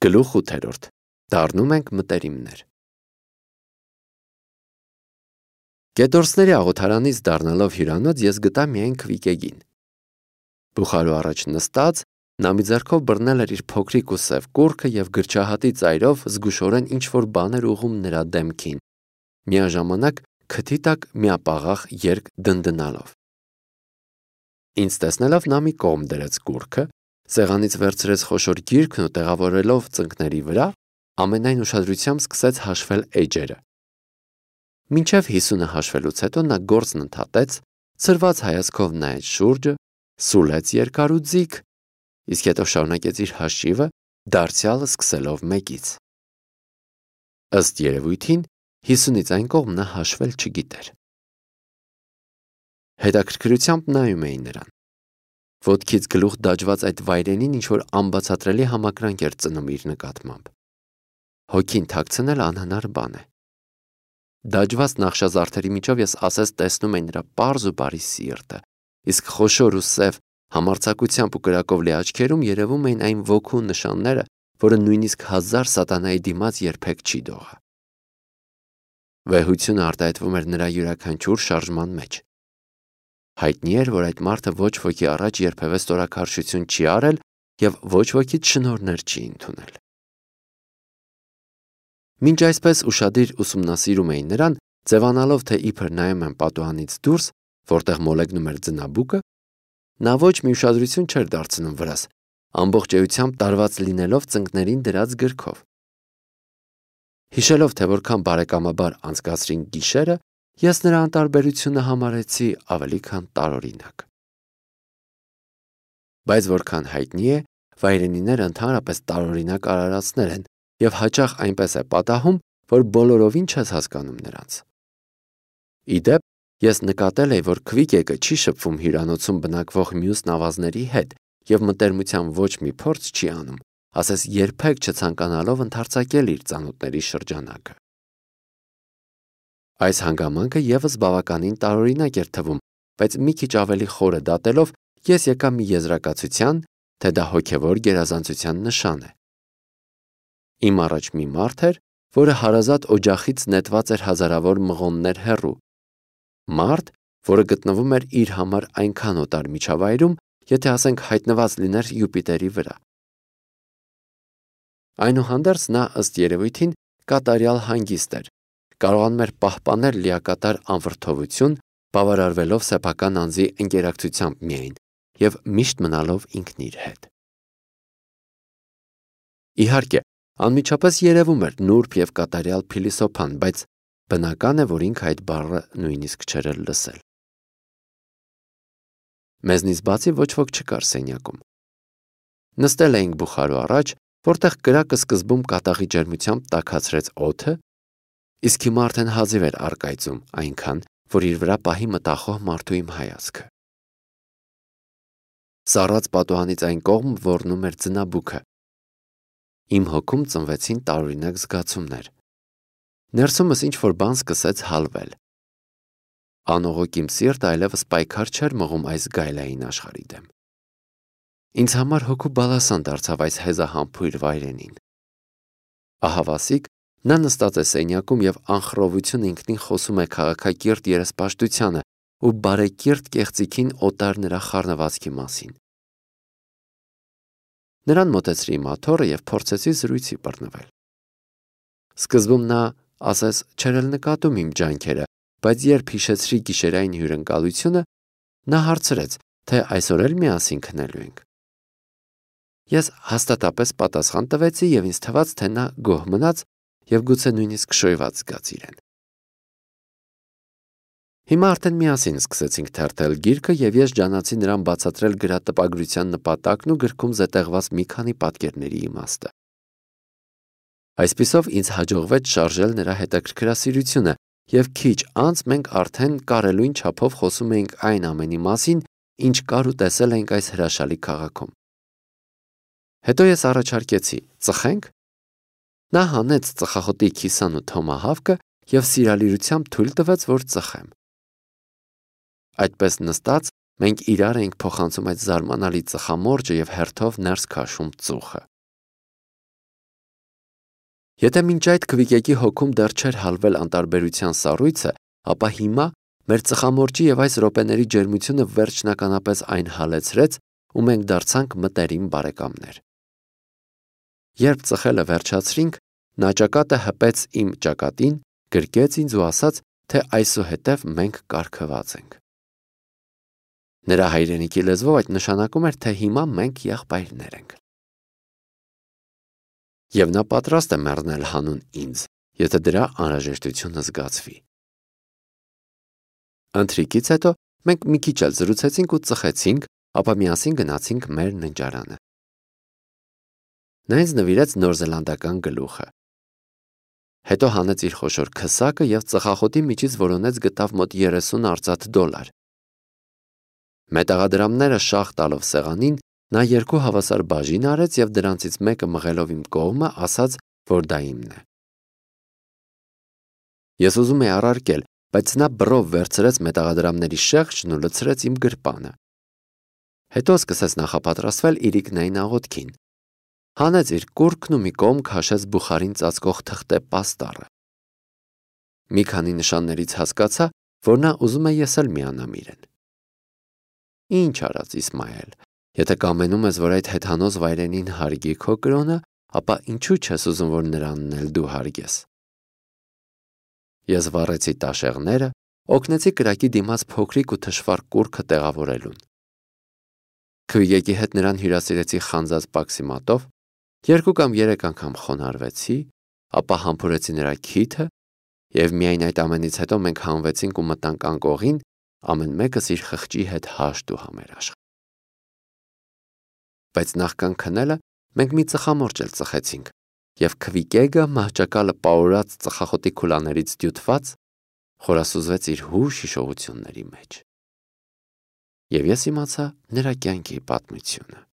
Գլուխ 8. Դառնում ենք մտերիմներ։ Գետորսների աղոթարանից դառնալով հյուրանոց ես գտա միայն Քվիկեգին։ Բուխարու առաջ նստած, նա մի ձեռքով բռնել էր իր փոքրիկ ու սև կուռքը և գրչահատի ծայրով զգուշորեն ինչ-որ բան էր ուղղում նրա դեմքին, միաժամանակ քթի տակ միապաղաղ երգ դնդնալով։ Ինձ տեսնելով նա մի կողմ դրեց կուռքը, սեղանից վերցրեց խոշոր գիրքն ու տեղավորելով ծնկների վրա, ամենայն ուշադրությամբ սկսեց հաշվել էջերը։ Մինչև 50-ը հաշվելուց հետո նա գործն ընդհատեց, ցրված հայացքով նայեց շուրջը, սուլեց երկար ու ձիգ, իսկ հետո շարունակեց իր հաշիվը, դարձյալը սկսելով 1-ից։ Ըստ երևույթին 50-ից այն կողմ նա հաշվել չգիտեր։ Հետաքրքրությամբ նայում էի նրան։ Ոտքից գլուխ դաջված այդ վայրենին ինչ-որ անբացատրելի համակրանք էր ծնում իր նկատմամբ։ Հոգին թաքցնել անհնար բան է։ Դաջված նախշազարդերի միջով ես ասես տեսնում էի նրա պարզ ու բարի սիրտը, իսկ խոշոր ու սև համարձակությամբ ու կրակով լի աչքերում երևում էին այն ոգու նշանները, որը նույնիսկ 1000 սատանայի դիմաց երբեք չի դողա։ Վեհությունը արտահայտվում էր նրա յուրաքանչյուր շարժման մեջ։ Հայտնի էր, որ այդ մարդը ոչ ոքի առաջ երբևէ ստորաքարշություն չի արել և ոչ wokից շնորհներ չի ընդունել։ Մինչ այսպես ուշադիր ուսումնասիրում էի նրան, ձևանալով, թե իբր նայում եմ պատուհանից դուրս, որտեղ մոլեգնում էր ձնաբուկը, նա ոչ մի ուշադրություն չէր դարձնում վրաս, ամբողջ էությամբ տարված լինելով ծնկներին դրած գրքով։ Հիշելով, թե որքան բարեկամաբար անցկացրին գիշերը, ես նրա անտարբերությունը համարեցի ավելի քան տարօրինակ։ Բայց որքան հայտնի է, վայրենիները ընդհանրապես տարօրինակ արարածներ են և հաճախ այնպես է պատահում, որ բոլորովին չես հասկանում նրանց։ Ի դեպ, ես նկատել էի, որ Քվիկեգը չի շփվում հյուրանոցում բնակվող մյուս նավազների հետ և մտերմության ոչ մի փորձ չի անում, ասես երբեք չցանկանալով ընդարձակել իր ծանոթների շրջանակը։ Այս հանգամանքը ևս բավականին տարօրինակ էր թվում, բայց մի քիչ ավելի խորը դատելով ես եկա մի եզրակացության, թե դա հոգևոր գերազանցության նշան է։ Իմ առաջ մի մարդ էր, որը հարազատ օջախից նետված էր հազարավոր մղոններ հեռու, մարդ, որը գտնվում էր իր համար այնքան օտար միջավայրում, եթե ասենք հայտնված լիներ Յուպիտերի վրա։ Այնուհանդերձ նա ըստ երևույթին կատարյալ հանգիստ էր, կարողանում էր պահպանել լիակատար անվրդովություն, բավարարվելով սեփական անձի ընկերակցությամբ միայն և միշտ մնալով ինքն իր հետ։ Իհարկե, անմիջապես երևում էր նուրբ և կատարյալ փիլիսոփան, բայց բնական է, որ ինքը այդ բառը նույնիսկ չէր էլ լսել։ Մեզնից բացի ոչ ոք չկար սենյակում։ Նստել էինք բուխարու առաջ, որտեղ կրակը սկզբում կատաղի ջերմությամբ տաքացրեց օդը, իսկ հիմա արդեն հազիվ էր առկայծում, այնքան, որ իր վրա պահի մտախոհ մարդու իմ հայացքը։ Սառած պատուհանից այն կողմ ոռնում էր ձնաբուքը։ Իմ հոգում ծնվեցին տարօրինակ զգացումներ։ Ներսումս ինչ-որ բան սկսեց հալվել։ Անողոք իմ սիրտը այլևս պայքար չէր մղում այս գայլային աշխարհի դեմ։ Ինձ համար հոգու բալասան դարձավ այս հեզահամբույր վայրենին։ Ահավասիկ, նա նստած է սենյակում և անխռովություն ինքնին խոսում է քաղաքակիրթ երեսպաշտությանը ու բարեկիրթ կեղծիքին օտար նրա խառնվածքի մասին։ Նրան մոտեցրի մաթոռը և փորձեցի զրույցի բռնվել։ Սկզբում նա, ասես, չէր էլ նկատում իմ ջանքերը, բայց երբ հիշեցրի գիշերային հյուրընկալությունը, նա հարցրեց, թե այսօր էլ միասին քնելու ենք։ Ես հաստատապես պատասխան տվեցի և ինձ թվաց, թե նա գոհ մնաց և գուցե նույնիսկ շոյված զգաց իրեն։ Հիմա արդեն միասին սկսեցինք թերթել գիրքը և ես ջանացի նրան բացատրել գրատպագրության նպատակն ու գրքում զետեղված մի քանի պատկերների իմաստը։ Այսպիսով ինձ հաջողվեց շարժել նրա հետաքրքրասիրությունը և քիչ անց մենք արդեն կարելույն չափով խոսում էինք այն ամենի մասին, ինչ կար ու տեսել էինք այս հրաշալի քաղաքում։ Հետո ես առաջարկեցի. ծխե՞նք։ Նա հանեց ծխախոտի քիսան ու թոմահավքը և սիրալիրությամբ թույլ տվեց, որ ծխեմ։ Այդպես նստած մենք իրար էինք փոխանցում այդ զարմանալի ծխամորճը և հերթով ներս քաշում ծուխը։ Եթե մինչ այդ քվիկեկի հոգում դեռ չէր հալվել անտարբերության սառույցը, ապա հիմա մեր ծխամորճի եւ այս րոպեների ջերմությունը վերջնականապես այն հալեցրեց ու մենք դարձանք մտերիմ բարեկամներ։ Երբ ծխելը վերջացրինք, նա ճակատը հպեց իմ ճակատին, գրկեց ինձ ու ասաց, թե այսուհետև մենք կարգված ենք։ Նրա հայրենիքի լեզվով այդ նշանակում էր, թե հիմա մենք եղբայրներ ենք։ Եվ նա պատրաստ է մեռնել հանուն ինձ, եթե դրա անհրաժեշտությունը զգացվի։ Ընթրիքից հետո մենք մի քիչ էլ զրուցեցինք ու ծխեցինք, ապա միասին գնացինք մեր ննջարանը։ Նա ինձ նվիրեց նորզելանդական գլուխը։ Հետո հանեց իր խոշոր քսակը և ծխախոտի միջից որոնեց գտավ մոտ 30 արծաթ դոլար։ Մետաղադրամները շաղ տալով սեղանին, նա 2 հավասար բաժին արեց և դրանցից մեկը մղելով իմ կողմը, ասաց, որ դա իմն է։ Ես ուզում էի առարկել, բայց նա բռով վերցրեց մետաղադրամների շեղջն ու լցրեց իմ գրպանը։ Հետո սկսեց նախապատրաստվել իրիկնային աղոթքին։ Հանեց իր կուռքն ու մի կողմ քաշեց բուխարին ծածկող թղթե պաստառը։ Մի քանի նշաններից հասկացա, որ նա ուզում է ես էլ միանամ իրեն։ Ինչ արած Իսմայել, եթե կամենում ես, որ այդ հեթանոց վայրենին հարգի քո կրոնը, ապա ինչու չես ուզում, որ նրանն էլ դու հարգես։ Ես վառեցի տաշեղները, օգնեցի կրակի դիմաց փոքրիկ ու թշվառ կուռքը տեղավորելուն։ Քվիկեկի հետ նրան հյուրասիրեցի խանձած պաքսի մատով, 2 կամ 3 անգամ խոնարհվեցի, ապա համբուրեցի նրա քիթը և միայն այդ ամենից հետո մենք հանվեցինք ու մտանք անկողին, ամեն մեկս իր խղճի հետ հաշտ ու համերաշխ։ Բայց նախքան քնելը մենք մի ծխամորճ էլ ծխեցինք, և քվիկեկը մահճակալը պարուրած ծխախոտի քուլաներից դյութված խորասուզվեց իր հուշ հիշողությունների մեջ։ Եվ ես իմացա նրա կյանքի պատմությունը։